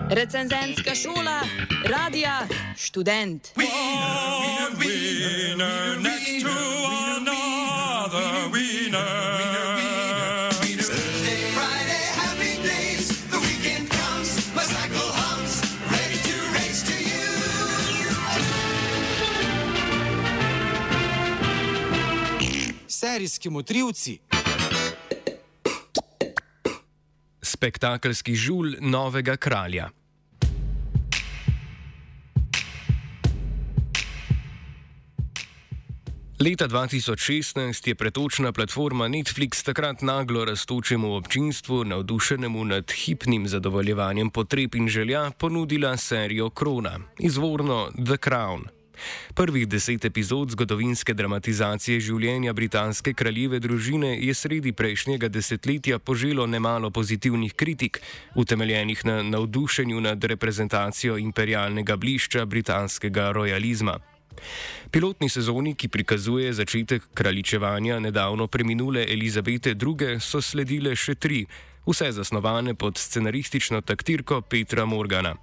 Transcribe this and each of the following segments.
Recenzentska šola, radija, študent. Serijski motrivci. Spektakelski žulj novega kralja. Leta 2016 je pretočna platforma Netflix takrat naglo rastočemu občinstvu, navdušenemu nad hipnim zadovoljevanjem potreb in želja, ponudila serijo Krona, izvorno The Crown. Prvih 10 epizod zgodovinske dramatizacije življenja britanske kraljeve družine je sredi prejšnjega desetletja poželo nemalo pozitivnih kritik, utemeljenih na navdušenju nad reprezentacijo imperialnega blišča britanskega rojalizma. Pilotni sezoni, ki prikazuje začetek kraljičevanja nedavno preminule Elizabete II., so sledile še 3, vse zasnovane pod scenaristično taktirko Petra Morgana.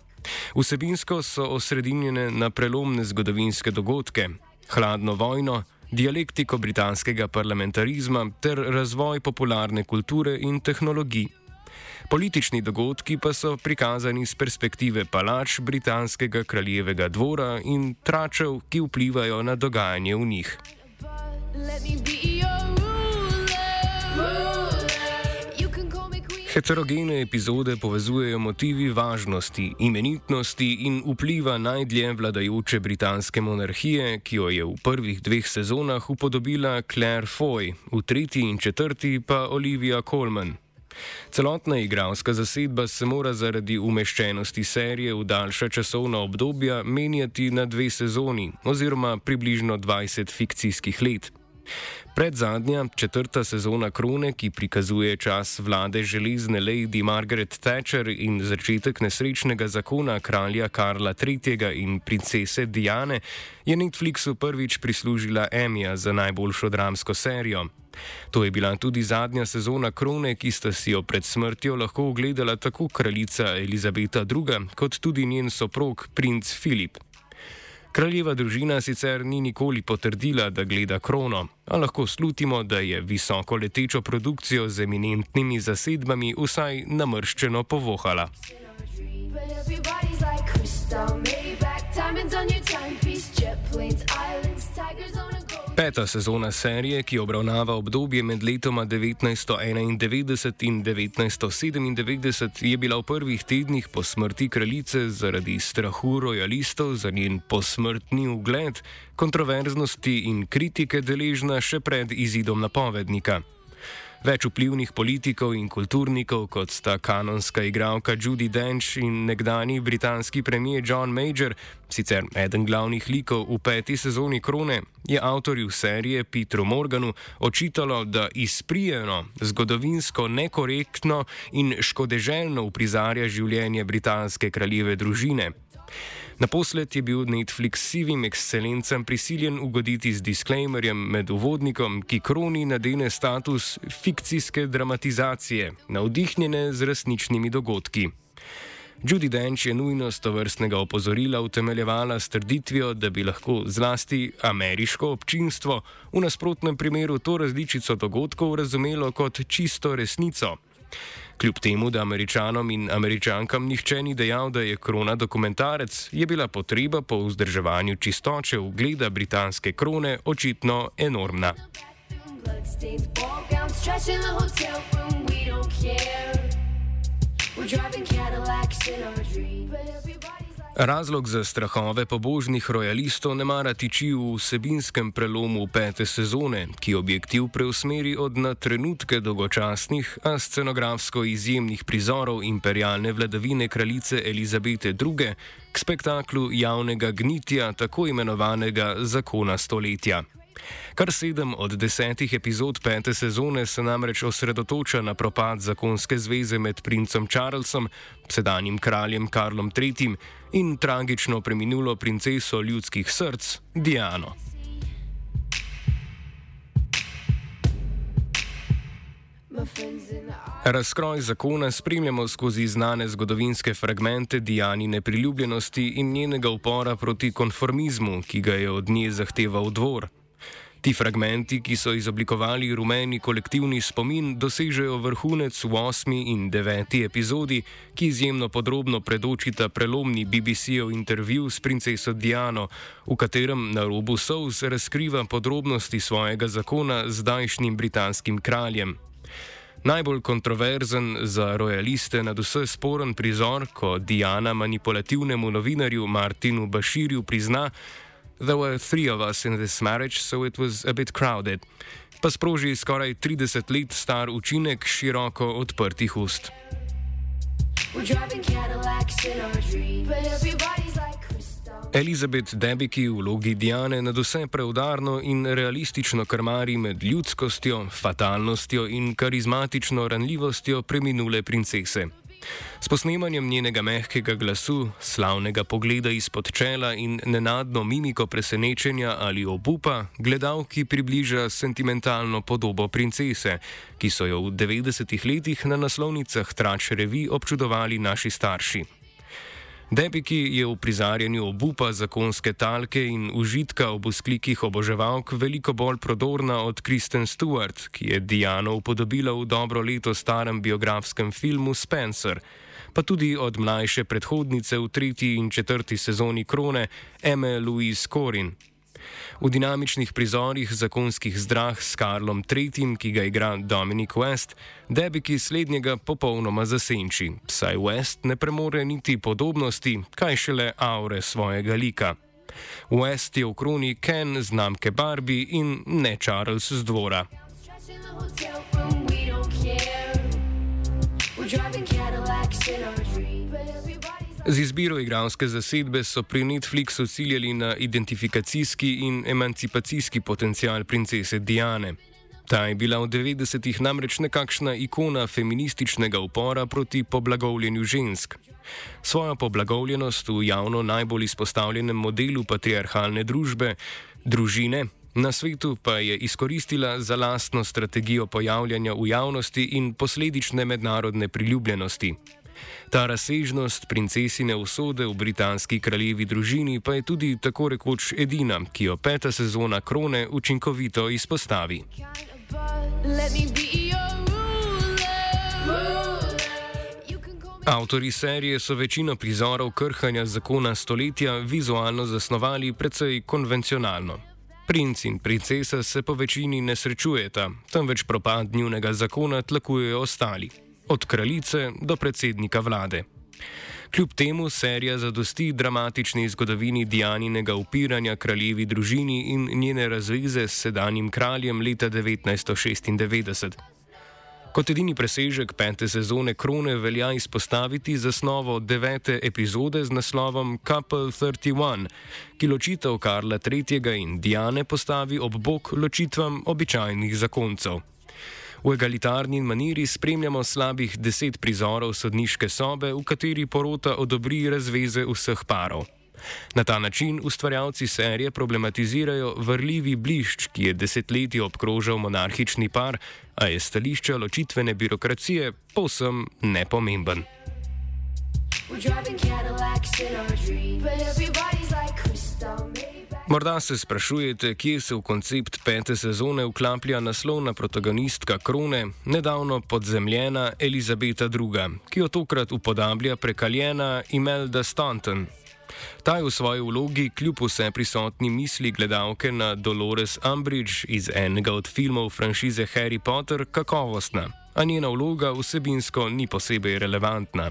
Vsebinsko so osredinjene na prelomne zgodovinske dogodke, hladno vojno, dialektiko britanskega parlamentarizma ter razvoj popularne kulture in tehnologij. Politični dogodki pa so prikazani z perspektive palač britanskega kraljevega dvora in tračev, ki vplivajo na dogajanje v njih. Heterogene epizode povezujejo motivi važnosti, imenitnosti in vpliva najdlje vladajoče britanske monarhije, ki jo je v prvih 2 sezonah upodobila Claire Foy, v 3. in 4. pa Olivia Colman. Celotna igralska zasedba se mora zaradi umeščenosti serije v daljša časovna obdobja menjati na 2 sezoni oziroma približno 20 fikcijskih let. Predzadnja, 4. sezona Krone, ki prikazuje čas vlade železne lady Margaret Thatcher in začetek nesrečnega zakona kralja Karla III. In princese Diane, je Netflixu prvič prislužila Emmyja za najboljšo dramsko serijo. To je bila tudi zadnja sezona Krone, ki sta si jo pred smrtjo lahko ogledala tako kraljica Elizabeta II. Kot tudi njen soprog, princ Filip. Kraljeva družina sicer ni nikoli potrdila, da gleda Krono, a lahko slutimo, da je visoko letečo produkcijo z eminentnimi zasedbami vsaj namrščeno povohala. Peta sezona serije, ki obravnava obdobje med letoma 1991 in 1997, je bila v prvih tednih po smrti kraljice zaradi strahu rojalistov za njen posmrtni ugled, kontroverznosti in kritike deležna še pred izidom napovednika. Več vplivnih politikov in kulturnikov, kot sta kanonska igralka Judi Dench in nekdanji britanski premier John Major, sicer eden glavnih likov v 5. sezoni Krone, je avtorju serije Petru Morganu očitalo, da izprijeno, zgodovinsko nekorektno in škodeželjno uprizarja življenje britanske kraljeve družine. Naposled je bil Netflix sivim ekscelencem prisiljen ugoditi z disclaimerjem med uvodnikom, ki Kroni nadene status fikcijske dramatizacije, navdihnjene z resničnimi dogodki. Judi Dench je nujnost tovrstnega opozorila utemeljevala s trditvijo, da bi lahko zlasti ameriško občinstvo v nasprotnem primeru to različico dogodkov razumelo kot čisto resnico. Kljub temu, da Američanom in Američankam nihče ni dejal, da je Krona dokumentarec, je bila potreba po vzdrževanju čistoče ugleda britanske krone očitno enormna. Razlog za strahove pobožnih rojalistov ne mara tiči v vsebinskem prelomu 5. sezone, ki objektiv preusmeri od na trenutke dolgočasnih, a scenografsko izjemnih prizorov imperialne vladavine kraljice Elizabete II. K spektaklu javnega gnitja tako imenovanega zakona stoletja. Kar 7 od 10 epizod 5. sezone se namreč osredotoča na propad zakonske zveze med princem Charlesom, sedanjim kraljem Karlom III. In tragično preminulo princeso ljudskih src Diano. Razkroj zakona spremljamo skozi znane zgodovinske fragmente Dianine priljubljenosti in njenega upora proti konformizmu, ki ga je od nje zahteval dvor. Ti fragmenti, ki so izoblikovali rumeni kolektivni spomin, dosežejo vrhunec v 8. in 9. epizodi, ki izjemno podrobno predočita prelomni BBC-ov intervju s princeso Diano, v katerem na robu solz razkriva podrobnosti svojega zakona z zdajšnjim britanskim kraljem. Najbolj kontroverzen, za rojaliste nadvse sporen prizor, ko Diana manipulativnemu novinarju Martinu Bashirju prizna: "There were 3 of us in this marriage, so it was a bit crowded," pa sproži skoraj 30 let star učinek široko odprtih ust. Elizabeth Debicki v vlogi Diane nadvse preudarno in realistično krmari med ljudskostjo, fatalnostjo in karizmatično ranljivostjo preminule princese. S posnemanjem njenega mehkega glasu, slavnega pogleda izpod čela in nenadno mimiko presenečenja ali obupa, gledalki približa sentimentalno podobo princese, ki so jo v 90-ih letih na naslovnicah Trač revij občudovali naši starši. Debicki je v prizarjanju obupa zakonske talke in užitka ob vzklikih oboževalk veliko bolj prodorna od Kristen Stewart, ki je Diano upodobila v dobro leto starem biografskem filmu Spencer, pa tudi od mlajše predhodnice v 3. in 4. sezoni Krone Emme Louise Corrin. V dinamičnih prizorih zakonskih zdrah s Karlom III., ki ga igra Dominic West, Debicki slednjega popolnoma zasenči, saj West ne premore niti podobnosti, kaj šele aure svojega lika. West je v kroni Ken znamke Barbie in ne Charles z dvora. Z izbiro igralske zasedbe so pri Netflixu ciljali na identifikacijski in emancipacijski potencial princese Diane. Ta je bila v 90-ih namreč nekakšna ikona feminističnega upora proti poblagovljenju žensk. Svojo poblagovljenost v javno najbolj izpostavljenem modelu patriarhalne družbe, družine, na svetu pa je izkoristila za lastno strategijo pojavljanja v javnosti in posledične mednarodne priljubljenosti. Ta razsežnost princesine usode v britanski kraljevi družini pa je tudi tako rekoč edina, ki jo 5. sezona Krone učinkovito izpostavi. Avtorji serije so večino prizorov krhanja zakona stoletja vizualno zasnovali precej konvencionalno. Princ in princesa se po večini ne srečujeta, temveč propad njunega zakona tlakujejo ostali. Od kraljice do predsednika vlade. Kljub temu serija zadosti dramatični zgodovini Dianinega upiranja kraljevi družini in njene razveze s sedanjim kraljem leta 1996. Kot edini presežek 5. sezone Krone velja izpostaviti zasnovo 9. epizode z naslovom Couple 31, ki ločitev Karla III. In Diane postavi ob bok ločitvam običajnih zakoncev. V egalitarni maniri spremljamo slabih 10 prizorov sodniške sobe, v kateri porota odobri razveze vseh parov. Na ta način ustvarjalci serije problematizirajo vrljivi blišč, ki je desetletji obkrožal monarhični par, a je stališča ločitvene birokracije povsem nepomemben. Morda se sprašujete, kje se v koncept 5. sezone vklaplja naslovna protagonistka Krone, nedavno podzemljena Elizabeta II., ki jo tokrat upodablja prekaljena Imelda Staunton. Ta je v svoji vlogi kljub vse prisotni misli gledalke na Dolores Umbridge iz enega od filmov franšize Harry Potter kakovostna, a njena vloga vsebinsko ni posebej relevantna.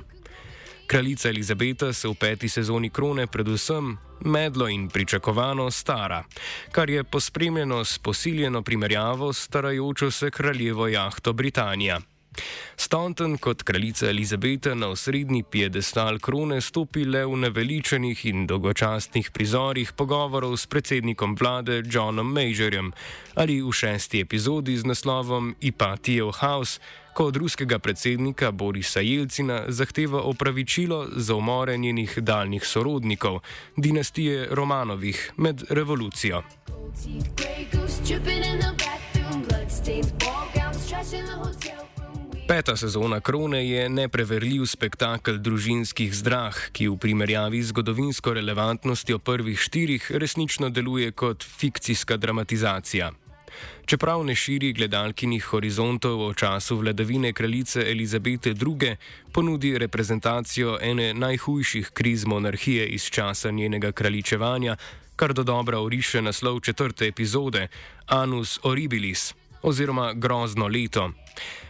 Kraljica Elizabeta se v 5. sezoni Krone predvsem medlo in pričakovano stara, kar je pospremljeno s posiljeno primerjavo s starajočo se kraljevo jahto Britanija. Staunton kot kraljica Elizabeta na osrednji piedestal Krone stopi le v naveličanih in dolgočasnih prizorih pogovorov s predsednikom vlade Johnom Majorjem ali v 6. epizodi z naslovom Ipatijev house, ko od ruskega predsednika Borisa Jelcina zahteva opravičilo za umore njenih daljnih sorodnikov, dinastije Romanovih, med revolucijo. Peta sezona Krone je nepreverljiv spektakel družinskih zdrah, ki v primerjavi z zgodovinsko relevantnostjo prvih 4 resnično deluje kot fikcijska dramatizacija. Čeprav ne širi gledalkinih horizontov o času vladavine kraljice Elizabete II., ponudi reprezentacijo ene najhujših kriz monarhije iz časa njenega kraljičevanja, kar dodobra oriše naslov 4. epizode Annus Horribilis oziroma Grozno leto.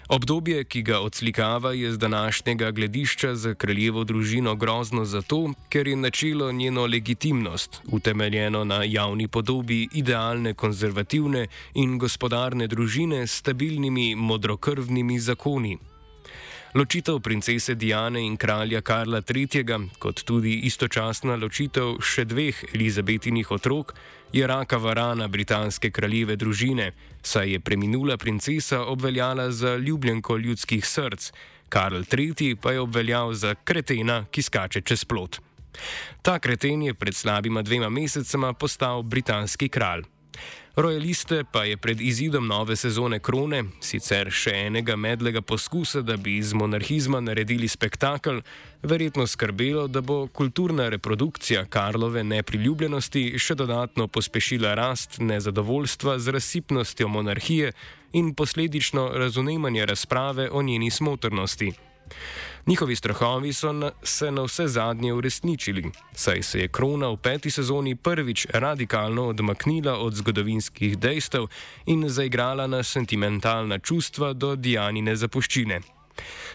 Obdobje, ki ga odslikava, je z današnjega gledišča za kraljevo družino grozno zato, ker je načelo njeno legitimnost, utemeljeno na javni podobi idealne konzervativne in gospodarne družine s stabilnimi modrokrvnimi zakoni. Ločitev princese Diane in kralja Karla III., kot tudi istočasna ločitev še 2 Elizabetinih otrok, je rakava rana britanske kraljeve družine, saj je preminula princesa obveljala za ljubljenko ljudskih src, Karl III. Pa je obveljal za kretena, ki skače čez plot. Ta kreten je pred slabima 2 mesecema postal britanski kralj. Royaliste pa je pred izidom nove sezone Krone, sicer še enega medlega poskusa, da bi iz monarhizma naredili spektakel, verjetno skrbelo, da bo kulturna reprodukcija Karlove nepriljubljenosti še dodatno pospešila rast nezadovoljstva z razsipnostjo monarhije in posledično razumevanje razprave o njeni smotrnosti. Njihovi strahovi so se na vse zadnje uresničili, saj se je Krona v 5. sezoni prvič radikalno odmaknila od zgodovinskih dejstev in zaigrala na sentimentalna čustva do Dianine zapuščine.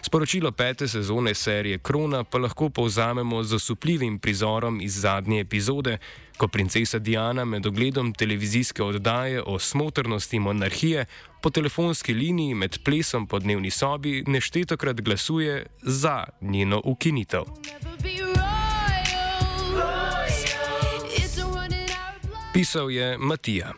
Sporočilo 5. sezone serije Krona pa lahko povzamemo z osupljivim prizorom iz zadnje epizode, ko princesa Diana med ogledom televizijske oddaje o smotrnosti monarhije po telefonski liniji med plesom po dnevni sobi neštetokrat glasuje za njeno ukinitev. Pisal je Matija.